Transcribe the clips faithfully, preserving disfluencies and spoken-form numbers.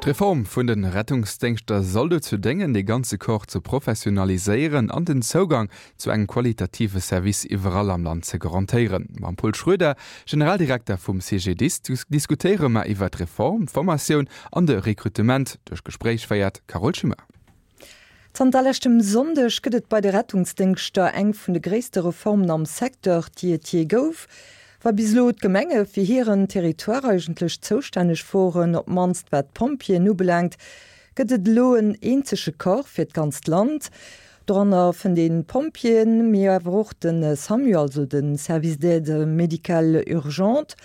D'Reform vun de Rettungsdéngschter soll dozou déngen, de ganze Corps ze professionaliséieren an den Zougang zu engem qualitative Service iwwerall am Land ze garantéieren. Mam Paul Schroeder, Generaldirekter vum C G D I S, diskutéiere mer iwwer d'Reform, d'Formatioun an de Rekrutement. D'Gespréich féiert Carole Schimmer. Zanter leschtem Sonndeg gëtt et bei de Rettungsdéngschter eng vun de gréisste Reformen am Secteur, déi et jee gouf. Wa bis elo d'Gemenge fir hiren Territoire eigentlech zoustänneg woren, op d'mannst wat d'Pompjeeën ubelaangt, gëtt et elo en eenzege Corps fir d'ganzt Land. Dorënner vun de Pompjeeën, mee awer och de SAMU, also de Service d'aide médicale urgente.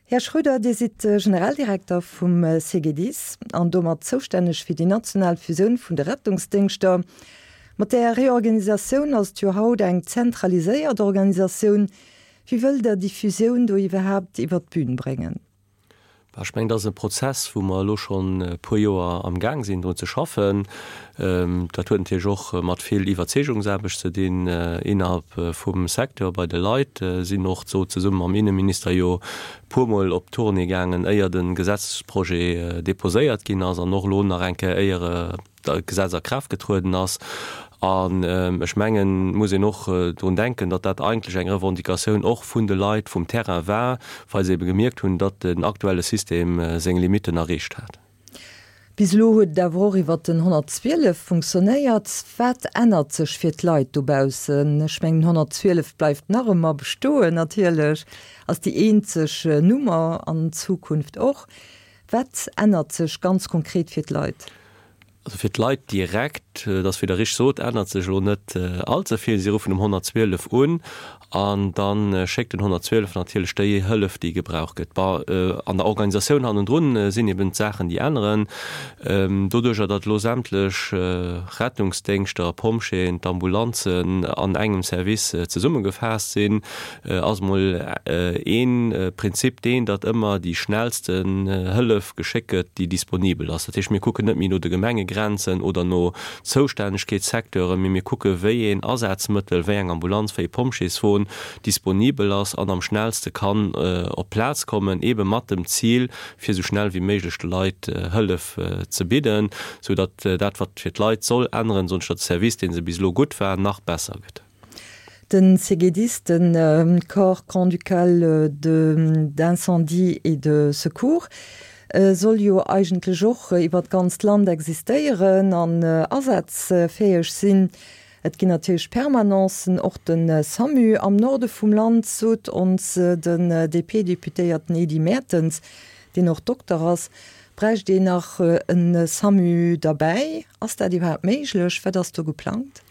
Här Schroeder, Dir sidd Generaldirekter vum C G D I S an domat zoustänneg fir déi national Fusioun vun de Rettungsdéngschter. Mat der Reorganisatioun ass jo haut eng zentraliséiert Organisatioun. Wéi wëllt Der déi Fusioun do iwwerhaapt iwwer d'Bün bréngen? Ech mengen, dat ass e Prozess, wou mer elo schonn e puer Joer am Gaang sinn, drun ze schaffen. Ähm, dat huet natierlech och mat vill Iwwerzeegungsaarbecht ze dinn äh, innerhalb äh, vum Secteur bei de Leit äh, sinn och sou zesumme mam Inneminister jo puermol op Tournée gaangen, éier de Gesetzesprojet deposéiert ginn ass an och elo nach eng Kéier éier d'Gesetz a Kraaft getrueden ass. An ähm, ech mengen, muss een och äh, drun denken, datt dat eigentlech eng Revendicatioun och vun de Leit vum Terrain war, well se ebe gemierkt hunn, datt den aktuelle System äh, seng Limitten erreecht hat. Bis elo huet et awer och iwwer den honnertzwielef funktionéiert. Wat ännert sech fir d'Leit dobaussen? Ech mengen, honnertzwielef bleift nach ëmmer bestoen natierlech, ass déi eenzeg äh, Nummer an Zukunft och. Wat ännert sech ganz konkret fir d'Leit? Also fir d'Leit direkt, äh, dat wéi Der richteg sot, ännert sech elo net äh, allze vill. Si ruffen um honnertzwielef un an dann äh, schéckt den honnertzwielef natierlech déi Hëllef, déi gebraucht gëtt. Äh, an der Organisatioun hannendrun äh, sinn eben Saachen, déi änneren. Ähm, doduerch datt elo sämtlech äh, Rettungsdéngschter, Pompjeeën, d'Ambulanzen an engem Service äh, zesummegefaasst sinn, äh, ass mol äh, ee äh, Prinzip deen, datt ëmmer déi schnellsten äh, Hëllef geschéckt gëtt, déi disponibel ass. Dat heescht, mir kucken net méi no de Gemengegrenzen oder no Zoustännegkeetssecteuren, mee mir kucke wéi een Asazmëttel, wéi eng Ambulanz, wéi e Pompjeeswon disponibel ass an am schnellste kann äh, op Plaz kommen, ebe mat dem Zil, fir sou schnell wéi méiglech de Leit äh, Hëllef äh, ze bidden, sou datt äh, dat wat fir d'Leit soll änneren, soll de Service, deen se bis elo gutt war, nach besser gëtt. Den C G D I S, den äh, Corps grand-ducal d'incendie et de secours, äh, soll jo eigentlech och iwwer d'ganzt Land existéieren an äh, asazfäeg sinn. Et ginn natierlech Permanencen, och den äh, SAMU am Norde vum Land, sot ons äh, den äh, D P-Deputéierten Edy Mertens, deen och Dokter ass, bräicht een nach en SAMU derbäi. Ass dat iwwerhaapt méiglech? Wat ass do geplangt?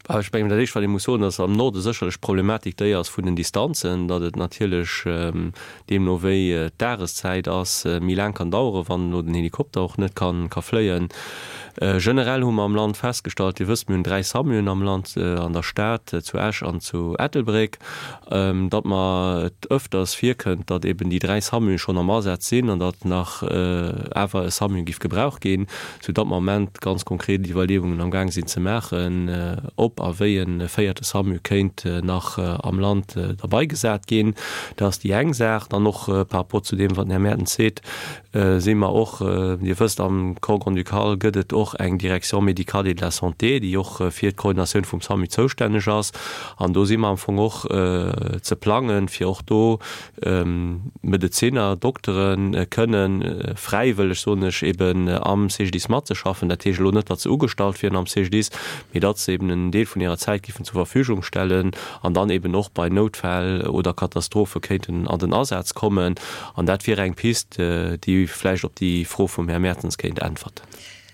Ech mengen, dat éischt, wat ee muss soen, ass am Norde sécherlech d'Problematik déi ass vun den Distanzen, datt et natierlech ähm, deemno wéi äh, d'Dageszäit ass, äh, méi laang kann daueren, wann den Helikopter och net kann ka fléien. Äh, generell hu mer am Land festgestallt, Dir wësst, mir hunn dräi SAMUen am Land äh, an der Stad äh, zu Esch an zu Ettelbréck, ähm, datt mer et ëfters virkënnt, datt eben déi dräi SAMUe schonn am Asaz sinn an datt nach äh, awer e SAMU géif gebraucht ginn, sou datt mer am Moment ganz konkret Iwwerleeungen am Gaang sinn ze maachen, äh, ob a wéi e véierte SAMU kéint äh, nach äh, am Land äh, derbäi gesat ginn. Dat ass déi eng Saach. Dann och äh, par rapport zu deem, wat den Här Mertens seet, äh, si mer och äh, Dir wësst, am Corps grand-ducal gëtt et och eng Direction médicale et de la santé, déi och äh, fir d'Koordinatioun vum SAMU zoustänneg ass. An do si mer am Fong och äh, ze plangen, fir och do ähm, Medeziner, Dokteren äh, kënnen äh, fräiwëlleg soen ech eben äh, am C G D I S matzeschaffen. Dat heescht elo net, datt se ugestallt wieren am C G D I S, mee datt se eben en Deel vun hirer Zäit géifen zur Verfügung stellen an dann eben och bei Noutfäll oder Katastrophe kéinten an den Asaz kommen. An dat wier eng Pist, äh, déi vläicht op déi Fro vum Här Mertens kéint äntwerten.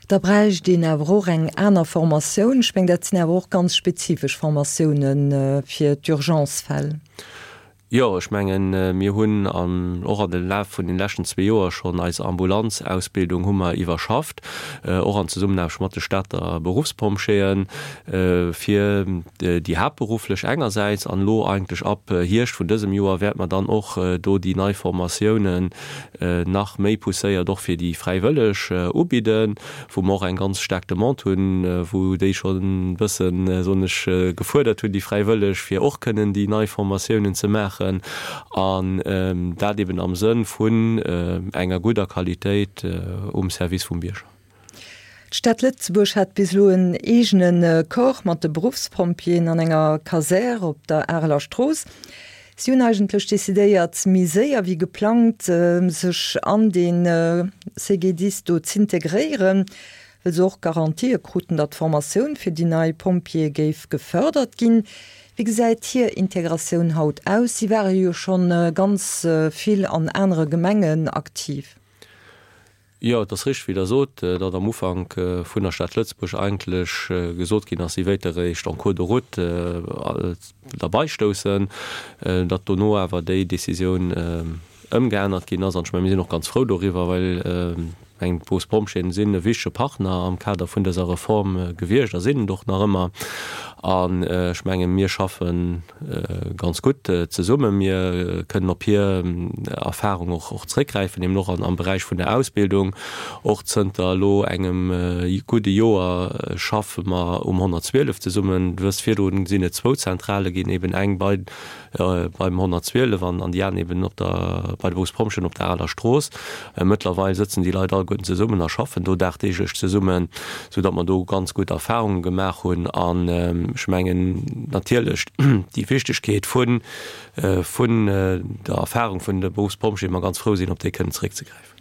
Da bräicht een awer och eng aner Formatioun. Ech mengen, dat sinn awer och ganz spezifesch Formatiounen äh, fir d'Urgencefäll. Jo, ech mengen, äh, mir hunn an och an de Laf vun den leschten zwee Joer schonn eis Ambulanzausbildung hu mer iwwerschafft, äh, och an Zesummenaarbecht mat de Stater Beruffspompjeeën äh, fir déi haaptberufflech engersäits an elo eigentlech ab Hierscht vun dësem Joer wäerte mer dann och do déi nei Formatiounen nach méi pousséiert och fir déi Fräiwëlleg ubidden, wou mer och eng ganz staark Demande hunn, wou déi schonn bëssen soen ech gefuerdert hunn, déi Fräiwëlleg, fir och kënnen déi nei Formatiounen ze maachen. maachen, an dat eben am Sënn vun enger gudder Qualitéit um Service vum Bierger. D'Stad Lëtzebuerg hat bis elo en eegene Corps mat de Beruffspompjeeën an enger Kasär op der Areler Strooss. Si hunn eigentlech decidéiert, méi séier wéi geplangt sech an dee CGDIS do z'integréieren, well se och Garantië kruten, datt d'Formatioun fir déi nei Pompjeeë géif gefërdert ginn. Wéi gesäit hir Integratioun haut aus? Si ware jo schonn ganz vill an anere Gemengen aktiv. Jo, et ass richteg, wéi Der sot, datt am Ufank vun der Stad Lëtzebuerg eigentlech gesot ginn ass, si wéilt eréischt en cours de route derbaistoussen, datt dono awer déi Décisioun ëmgeännert ginn ass. An ech mengen, mir sinn och ganz frou doriwwer, well ech mengen, d'Berufspompjeeën sinn e wichtege Partner am Kader vun dëser Reform gewiescht a sinn et och nach ëmmer. An ech mengen, mir schaffe ganz gutt zesummen. Mir kënnen op hir Erfahrung och zréckgräifen, eben och am Beräich vun der Ausbildung. Och zënter elo engem gudde Joer schaffe mer um honnertzwielef zesummen. Du wësst, virdru sinn et zwou Zentrale ginn, eben eng bei beim honnertzwielef an déi aner eben op der, bei de Berufspompjeeën op der Aler Strooss. Mëttlerweil sëtzen déi Leit alleguerten zesummen a schaffen do dagdeeglech zesummen, soudatt mer do ganz gutt Erfahrunge gemaach hunn. An ech mengen natierlech déi Wichtegkeet vun, vun der Erfahrung vun de Berufspompjeeën, mer ganz frou sinn, op déi kënnen zeréckzegräifen.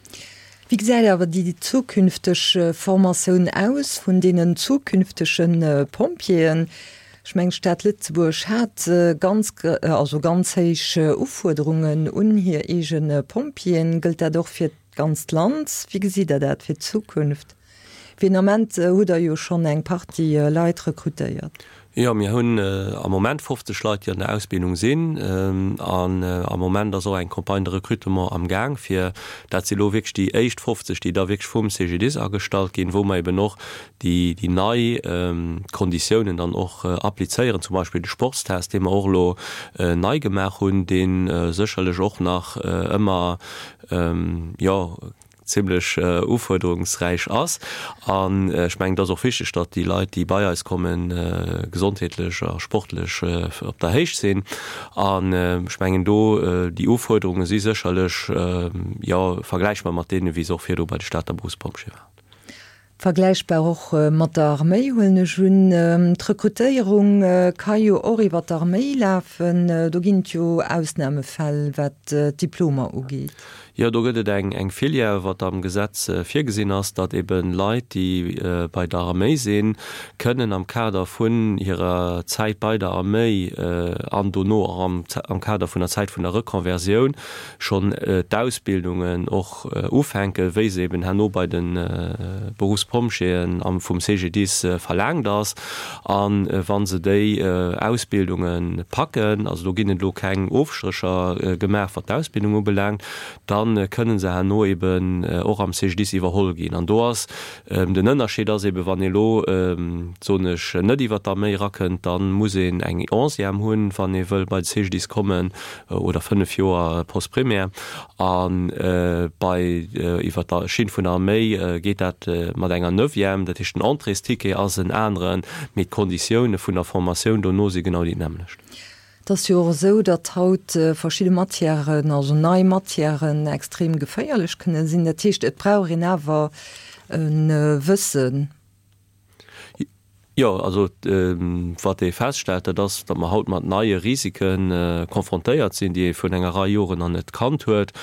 Wéi gesäit awer déi zukünfteg Formatioun aus vun deenen zukünftege Pompjeeën? Ech mengen, d'Stad Lëtzebuerg hat ganz, also ganz héich Ufuerderungen un hir eege Pompjeeën. Gëllt dat och fir d'ganzt Land? Wéi gesitt Der dat fir d'Zukunft? Fir den Ament hutt Der jo schonn eng Partie Leit rekrutéiert. Jo, mir hunn am Moment fofzeg Leit, déi an der Ausbildung sinn. An am Moment ass och eng Campagne de recrutement am Gaang, fir dat si elo wierklech déi éischt fofzeg, déi da wierklech vum C G D I S agestallt ginn, wou mer eben och déi déi nei Konditiounen dann och applizéieren, zum Beispill de Sportstest, dee mer och elo nei gemaach hunn, dee sécherlech och nach ëmmer, jo, zimlech ufuerderungsräich ass. An ech mengen, et ass och wichteg, datt déi Leit, déi bei eis kommen, gesondheetlech a sportlech op der Héicht sinn. An ech mengen, do déi Ufuerderunge si sécherlech, jo, vergläichbar mat deene wéi se och virdru bei de Stater Berufspompjeeë waren. Vergläichbar och mat der Arméi, huelen ech un. D'Rekrutéierung ka jo och iwwer d'Arméi lafen. Do ginn et jo Ausnamefäll, wat d'Diplomer ugeet. Jo, do gëtt et eng Filière, wat am Gesetz virgesinn ass, datt ebe Leit, déi bei der Arméi sinn, kënnen am Kader vun hirer Zäit bei der Arméi an dono och am Kader vun der Zäit vun der Reconversioun schonn d'Ausbildungen och ufänken, wéi se eben herno bei de Berufspompjeeën vum C G D I S verlaangt ass. A wa se déi Ausbildunge packen, also do ginn et elo keng Ofstrécher gemaach, wat d'Ausbildung ubelaangt, da kënne se herno eben och am C G D I S iwwerholl ginn. An do ass den Ënnerscheed ass eben, wann ee elo, soen ech, net iwwert d'Arméi erakënnt, da muss een eng Onzième hunn, wann ee wëll bei de C G D I S kommen, oder fënnef Joer Postprimaire. A bei iwwert der Schinn vun der Arméi geet dat mat enger Neuvième. Dat heescht, den Entréesticket ass en aneren, mee d'Konditioune vun der Formatioun dono si genau déi nämmlecht. Et ass jo och esou, datt haut verschidde Matièren, also nei Matièren extrem geféierlech kënne sinn. Dat heescht, et brauch een awer e Wëssen. Jo, also wat ee feststellt, dat ass, datt mer haut mat neie Risike konfrontéiert sinn, déi ee virun enger Rei Joren nach net kannt huet.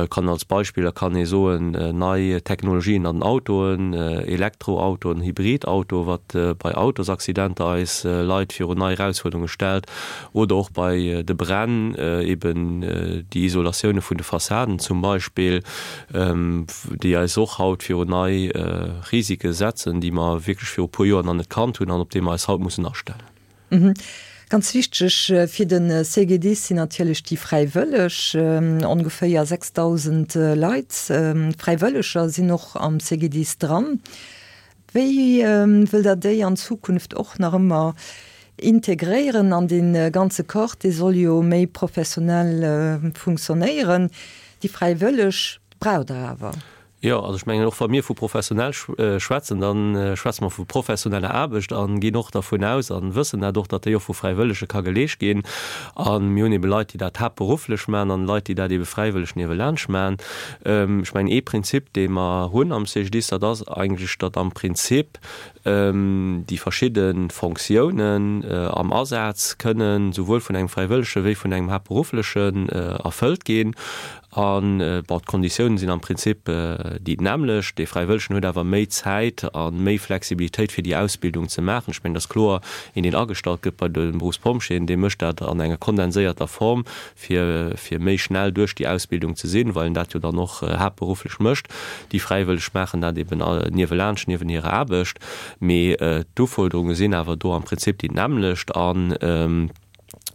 Kann als Beispiller kann ee soen, nei Technologien an den Autoen, Elektroautoen, Hybridauto, wat bei Autosaccidenter eis Leit virun nei Erausfuerderunge stellt, oder och bei de Bränn, eben déi Isolatioune vun de Fassaden zum Beispill, déi eis och haut virun nei Risike setzen, déi mer wierklech viru puer Joer nach net kannt hunn an op déi mer eis haut mussen astellen. Ganz wichteg fir de C G D I S sinn natierlech déi Fräiwëlleg. Ongeféier sechsdausend Leit, Fräiwëlleger, sinn och am C G D I S dran. Wéi wëllt Der déi an Zukunft och nach ëmmer integréieren an dee ganze Corps? Dee soll jo méi professionell funktionéieren. Déi Fräiwëlleg braucht Der awer. Jo, also ech mengen, och wa mir vu professionell schwätzen, da schwätze mer vu professioneller Aarbecht a ginn och dervun aus a wëssen dat och, datt déi och vu Fräiwëllege ka geleescht ginn. A mir hunn ebe Leit, déi dat haaptberufflech maachen an Leit, déi dat ebe fräiwëlleg niewelaanscht maachen. Ech mengen, ee Prinzip, dee mer hunn am C G D I S, dat ass eigentlech, datt am Prinzip déi verschidde Fonctiounen am Asaz kënnen souwuel vun engem Fräiwëllege wéi vun engem Haaptberufflechen erfëllt ginn. An, bon, d'Konditiounen sinn am Prinzip déi nämmlecht. Dee Fräiwëllegen huet awer méi Zäit a méi Flexibilitéit, fir déi Ausbildung ze maachen. Ech mengen, et ass kloer, een, deen agestallt gëtt bei de Berufspompjeeën, dee mécht dat an enger kondenséierter Form, fir, fir méi schnell duerch déi Ausbildung ze sinn, well en dat jo dann och haaptberufflech mécht. Déi Fräiwëlleg maachen dat eben niewelaanscht, niewen hirer Aarbecht. Mee d'Ufuerderunge sinn awer do am Prinzip déi nämmlecht. An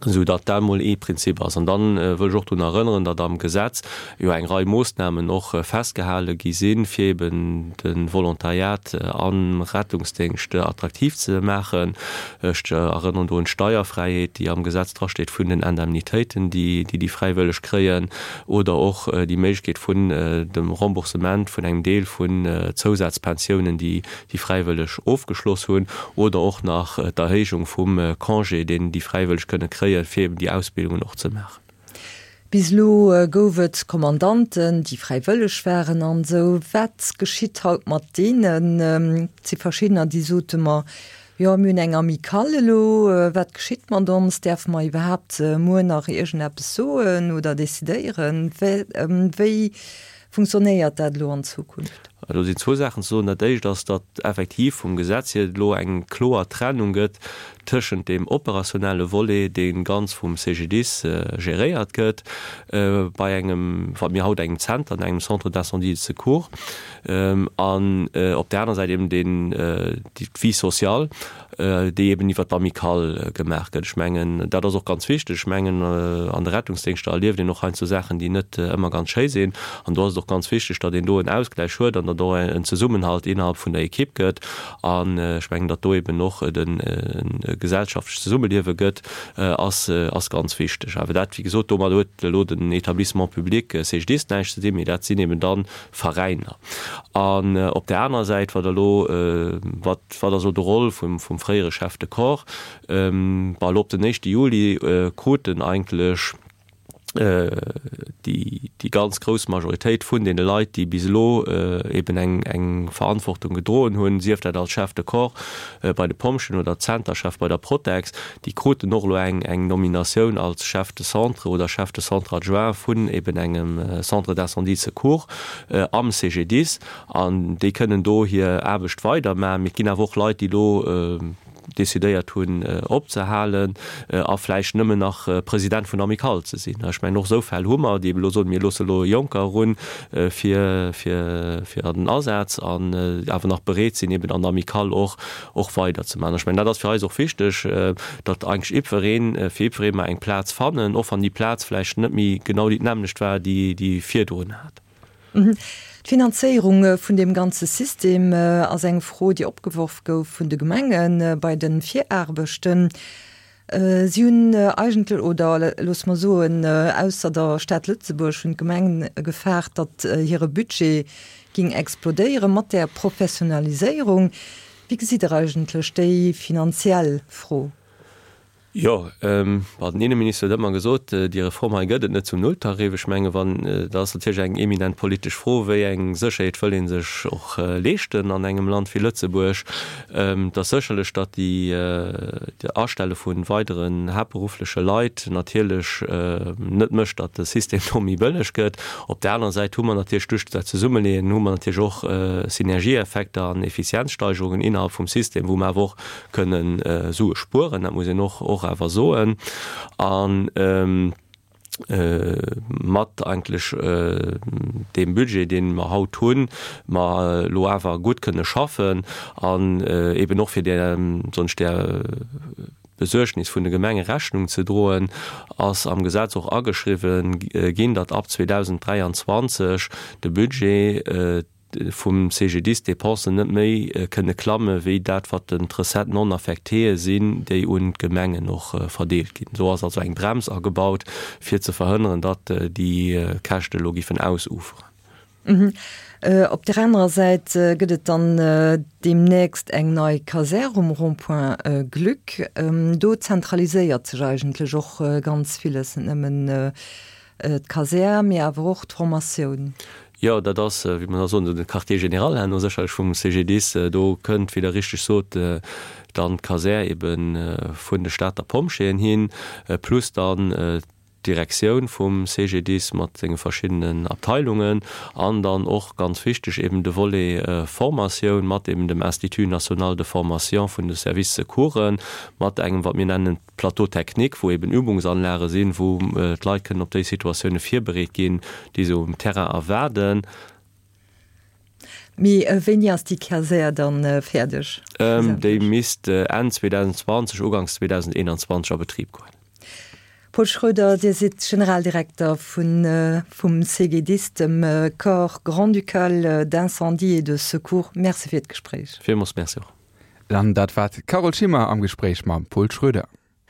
esou datt dat emol ee Prinzip ass. An da wëll ech och drun erënneren, datt am Gesetz jo eng Rei Moossnamen och festgehale gi sinn, fir eben de Volontariat am Rettungsdéngscht attraktiv ze maachen. Ech erënneren do un d'Steierfräiheet, déi am Gesetz drasteet vun den Indemnitéiten, déi déi Fräiwëlleg kréien, oder och déi Méiglechkeet vun dem Remboursement vun engem Deel vun Zousazpensiounen, déi déi Fräiwëlleg ofgeschloss hunn, oder och nach d'Erhéijung vum Congé, deen déi Fräiwëlleg kënne kréien, fir eben déi Ausbildungen och ze maachen. Bis elo gouf et Kommandanten, déi fräiwëlleg waren an esou. Wat geschitt haut mat deenen? Et si verschiddener, déi sote mer, jo, mir hunn eng Amicale elo, wat geschitt mat ons? Däerfe mer iwwerhaapt muer nach iergendeppes soen oder decidéieren? Wéi funktionéiert dat elo an Zukunft? Do sinn zwou Saachen ze soen. Dat Éischt ass, datt effektiv vum Gesetz hier et elo eng kloer Trennung gëtt tëschent deem operationelle Volet, dee ganz vum C G D I S geréiert gëtt, bei engem, wat mir haut engem Zenter, engem Centre d'incendie et de secours, an op där anerer Säit eben deen, d'Vie sociale, déi eben iwwert d'Amicale gemaach gëtt. Ech mengen, dat ass och ganz wichteg. Ech mengen, an de Rettungsdéngschter erlieft een och heiansdo Saachen, déi net ëmmer ganz schéi sinn. An do ass et och ganz wichteg, datt een do en Ausgläich huet an datt och en Zesummenhalt innerhalb vun der Ekipp gëtt. An ech mengen, datt do eben och e gesellschaftlech Zesummeliewe gëtt, ass, ass ganz wichteg. Awer dat, wéi gesot, domat huet elo den Établissement public C G D I S näischt ze dinn, mee dat sinn eben dann Veräiner. An op där anerer Säit, wat elo, wat, wat ass elo de Rôle vum, vum fréiere Chef de Corps? Bon, elo op den éischte Juli kruten eigentlech déi, déi ganz grouss Majoritéit vun deene Leit, déi bis elo eben eng, eng Verantwortung gedroen hunn, sief dat als Chef de Corps bei de Pompjeeën oder Zenterchef bei der Protex, déi kruten och elo eng, eng Nominatioun als Chef de Centre oder Chef de Centre adjoint vun eben engem Centre d'incendie et secours am C G D I S. An déi kënnen do hir Aarbecht weidermaachen. Mee et ginn awer och Leit, déi elo decidéiert hunn opzehalen a vläicht nëmmen nach President vun der Amicale ze sinn. Ech mengen, och esou Fäll hu mer, déi ebe elo soen, mir loosse elo Jonker erun fir, fir, fir an den Asaz an awer nach bereet sinn, eben an der Amicale och, och weiderzemaachen. Ech mengen, dat ass fir eis och wichteg, datt eigentlech jiddwereen, fir jiddweree mer eng Plaz fannen, och wann déi Plaz vläicht net méi genau déi d'nämmlecht war, déi déi virdrun hat. D'Finanzéierung vun deem ganze System ass eng Fro, déi opgeworf gouf vun de Gemenge bei de Viraarbechten. Si hunn eigentlech, oder loosse mer soen, ausser der Stad Lëtzebuerg hunn d'Gemengen gefaart, datt hire Budget géing explodéiere mat där Professionaliséierung. Wéi gesitt Der eigentlech déi finanziell Fro? Jo, bon, den Inneminister huet ëmmer gesot, déi Reform hei gëtt et net zum Nulltarif. Ech menge wann, dat ass natierlech eng eminent politesch Fro, wéi eng Sécherheet wëll ee sech och leeschten an engem Land wéi Lëtzebuerg. Et ass sécherlech, datt déi Astelle vu weideren haaptberuffleche Leit natierlech net mécht, datt de System do méi bëlleg gëtt. Op där anerer Säit hu mer natierlech duerch dat Zesummeleeën hu mer natierlech och Synergieeffekter an Effizienzsteigerungen innerhalb vum System, wou mer awer och kënnen Sue spueren, dat muss een och och awer soen. An mat eigentlech deem Budget, dee mer haut hunn, mer elo awer gutt kënne schaffen an eben och fir där, soen ech, där Besuergnis vun de Gemenge Rechnung ze droen, ass am Gesetz och ageschriwwen ginn, datt ab zweedausend dräianzwanzeg de Budget vum C G D I S d'Dépensen net méi kënne klamme wéi dat, wat den d'Recettes non affectées sinn, déi un d'Gemengen och verdeelt ginn. Do ass also eng Brems agebaut, fir ze verhënneren, datt déi Käschte elo giffen ausuferen. Op der anerer Säit gëtt et dann deemnächst eng nei Kasär um Rond-point Glück. Do zentraliséiert sech eigentlech och ganz villes, net nëmmen d'Kasär, mee awer och d'Formatioun. Jo, dat ass, wéi mer da soen, esou de Quartier général herno sécherlech vum CGDIS. Do kënnt, wéi Der richteg sot, dann d'Kasär ebe vun de Stater Pompjeeën hin, plus dann d'Direktioun vum CGDIS mat senge verschiddenen Abteilungen an dann och, ganz wichteg, eben de Volet Formatioun mat eben dem Institut national de formation vun de Services Secoursen, mat engem, wat mir nennen, Plateau technique, wou eben Übungsanlage sinn, wou d'Leit kënnen op déi Situatioune virbereet ginn, déi se um Terrain erwaarden. Mee wéini ass déi Kasär dann fäerdeg? Déi misst Enn zweedausendzwanzeg, uganks zweedausendeonzwanzeg a Betrib goen. Paul Schroeder, Dir sidd Generaldirekter vum C G D I S, dem Corps grand-ducal d'incendie et de secours. Merci fir d'Gespréich. Villmools merci och. An dat war d'Carole Schimmer am Gespréich mam Paul Schroeder.